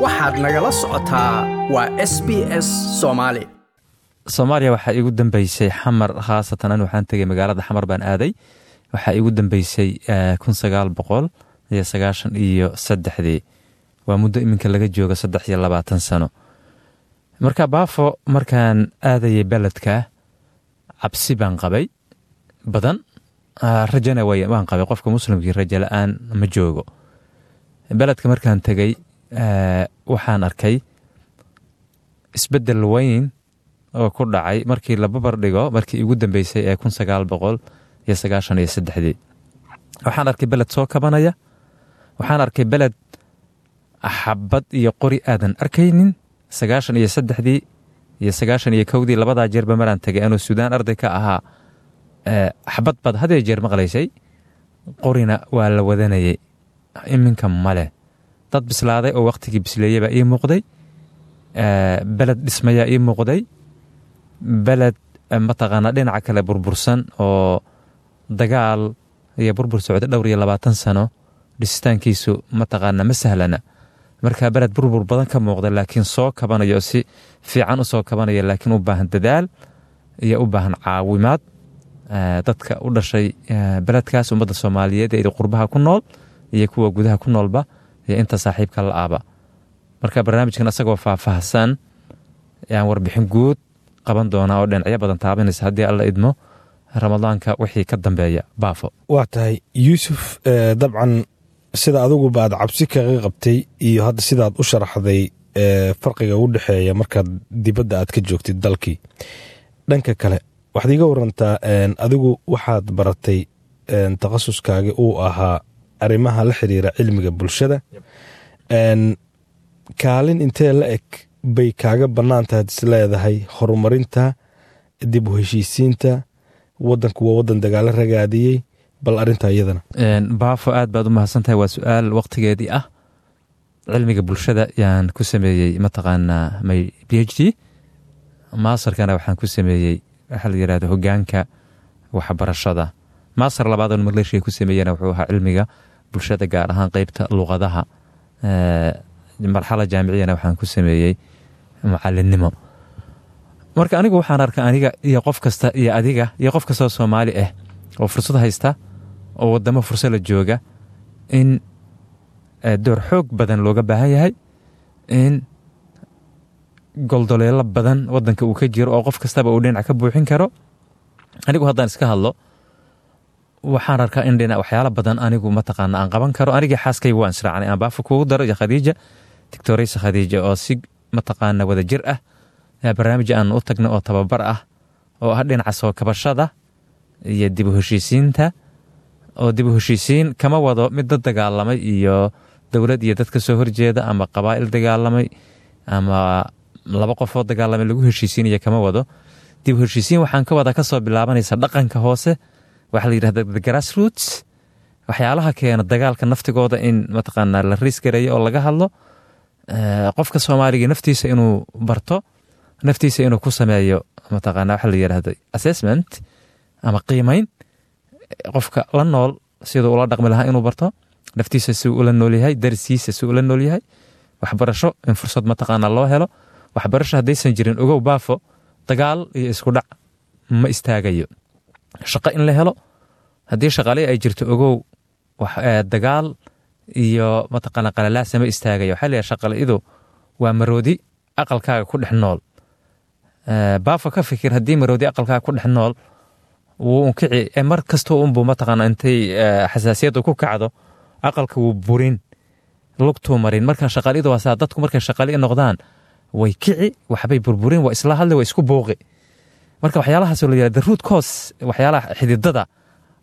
Waxaad nagala socotaa waa SBS Soomaali. Soomaaliya waxaa iigu dambeysay Xamar, khaasatan an waxaan tegay magaalada Xamar baan aaday. Waxaa iigu dambeysay 1993-dii. Waa muddo iminka laga jooga 23 sano. Marka Baafo, markaan aadayay beledka, cabsi baan qabay badan, rajana waan qabay. Qofka muslimkii rajo la-aan ma joogo. Beledka markaan tegay, waxaan arkay isbeddel weyn oo ku dhacay markii la babar dhigo markii igu dambeysay ee 1993-dii. Waxaan arkay beled soo kabanaya. Waxaan arkay beled xabad iyo qori aadan arkaynin. 93-dii iyo 91-dii, labadaa jeerba maraan tegay anuu Suudaan arday ka ahaa, xabad baad hadee jeer maqlaysay, qorina waa la wadanayay. Iminka maleh. Dad bislaaday oo wakhtigii bisleeyey baa ii muuqday. Beled dhismayaa ii muuqday. Beled mataqaanaa dhinaca kale burbursan oo dagaal iyo burbur socday dhowr iyo labaatan sano, dhisitaankiisu mataqaanaa ma sahlana. Marka beled burbur badan ka muuqda, laakiin soo kabanayo oo si fiican u soo kabanaya, laakiin u baahan dadaal iyo u baahan caawimaad dadka u dhashay beledkaas, ummadda Soomaaliyeed ee qurbaha ku nool iyo kuwa gudaha ku noolba iyo inta saaxiibka la aaba. Marka barnaamijkan asagoo faahfaahsan ayaan warbixin guud qaban doonaa oo dhinacyo badan taabanaysa, haddii Alla idmo, Ramadaanka wixii ka dambeeya, Baafo. Waa tahay, Yuusuf. Dabcan sida adiguba aad cabsi kaga qabtay iyo hadda sidaad u sharaxday farqiga u dhexeeya markaad dibadda aad ka joogtid dalkii. Dhanka kale, waxaad iiga warantaa, adigu waxaad baratay, takhasuskaagi uu ahaa arrimaha la xiriira cilmiga bulshada. Kaalin intee la eg bay kaaga bannaan tahay is leedahay horumarinta dib u heshiisiinta waddanku? Waa waddan dagaalo ragaadiyey. Bal arrintaa iyadana. Baafo, aad baad u mahadsan tahay. Waa su-aal waqtigeedii ah. Cilmiga bulshada yaan ku sameeyey mataqaanaa my PhD. Masterkana waxaan ku sameeyey waxaa la yidhahda hogaanka waxbarashada. Master labaad oon Malaysia ku sameeyena wuxuu ahaa cilmiga bulshada, gaar ahaan qeybta luqadaha. Marxala jaamiciyana waxaan ku sameeyey macalinimo. Marka anigu waxaan arka, aniga iyo qof kasta iyo adiga iyo qof kastoo Soomaali ah oo fursad haysta oo wadamo fursad la jooga, in door xoog badan looga baahan yahay, in goldoleelo badan wadanka uu ka jiro oo qof kastaba uu dhinac ka buuxin karo. Anigu haddaan iska hadlo, waxaan arkaa in dhinac waxyaalo badan anigu mataqaana aan qaban karo. Anigii xaaskayga waan israacnay, aan Baafa kugu daro, iyo Khadiija, Doctoraysa Khadiija, oo si mataqaana wada jir ah barnaamij aan u tagno oo tababar ah oo ah dhinaca soo kabashada iyo dib u heshiisiinta. Oo dib u heshiisiin kama wado mid dad dagaalamay iyo dowlad iyo dad ka soo horjeeda ama qabaa'il dagaalamay ama laba qofoo dagaalamay lagu heshiisiinaya kama wado. Dib u heshiisiin waxaan ka wadaa kasoo bilaabanaysa dhaqanka hoose, waxaa la yidhahda the grassroots, waxyaalaha keena dagaalka naftigooda in mataqaanaa la riis gareeyo oo laga hadlo. Qofka Soomaaliga naftiisa inuu barto, naftiisa inuu ku sameeyo mataqaana waxa la yidhahdo assessment ama qiimeyn, qofka la nool siduu ula dhaqmi lahaa inuu barto, naftiisa siduu ula nool yahay, darsiisa siduu ula nool yahay. Waxbarasho in fursad mataqaana loo helo. Waxbarasho haddaysan jirin, ogow Baafo, dagaal iyo isku dhac ma istaagayo. Shaqo in la helo. Haddii shaqaale ay jirto, ogow, dagaal iyo mataqaana qalalaasa ma istaagayo. Waxaa la yidhaha shaqalidu waa maroodi aqalkaaga ku dhex nool. Baafo, ka fikir, haddii maroodi aqalkaaga ku dhex nool, wuu unkici mar kastoo unbuu mataqaana intay xasaasiyaddu ku kacdo aqalka wuu burin, lugtuu marin. Marka shaqalidu waa saa. Dadku markay shaqali noqdaan way kici, waxbay burburin, waa isla hadli, waa isku buuqi. Marka waxyaalahaas la yihahda the root cause, waxyaalaha xididada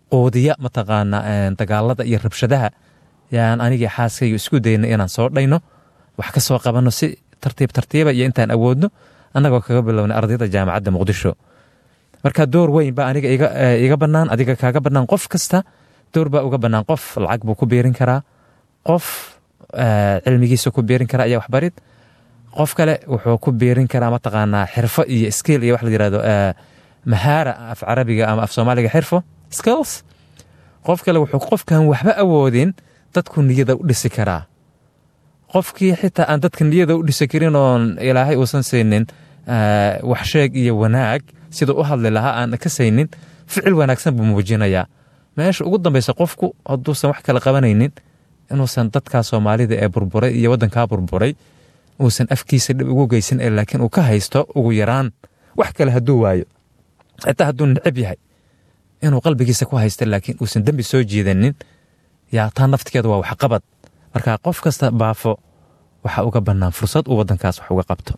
quudiya mataqaana dagaalada iyo rabshadaha, yaan anigii xaaskayga isku dayno inaan soo dhayno, wax ka soo qabanno si tartiib tartiiba iyo intaan awoodno, annagoo kaga bilownay ardayda Jaamacadda Muqdisho. Marka door weyn baa aniga iga bannaan, adiga kaaga bannaan, qof kasta door baa uga bannaan. Qof lacag buu ku biirin karaa, qof cilmigiisa ku biirin karaa iyo waxbarid, qof kale wuxuu ku biirin karaa mataqaanaa xirfo iyo skill iyo wax la yirahdo mahaara af Carabiga ama af Soomaaliga xirfo, skills. Qof kale wuxuu, qofkan waxba awoodin, dadku niyada u dhisi karaa. Qofkii xitaa aan dadka niyada u dhisi karin oon Ilaahay uusan siinin wax sheeg iyo wanaag, siduu u hadli lahaa aan ka saynin, ficil wanaagsan buu muujinayaa. Meesha ugu dambaysa, qofku hadduusan wax kala qabanaynin, inuusan dadkaa Soomaalida ee burburay iyo waddankaa burburay uusan afkiisa dhib ugu geysan, ee laakiin uu ka haysto ugu yaraan, wax kale hadduu waayo, xitaa hadduu necab yahay, inuu qalbigiisa ku haysto, laakiin uusan dembi soo jiidanin, yaa taa naftigeeda waa waxqabad. Marka qof kasta Baafo waxa uga bannaan fursad uu waddankaas wax uga qabto.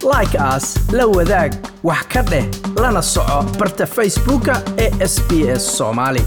Like saar, la wadaag, wax ka dheh, lana soco barta Facebooka ee SBS Soomaali.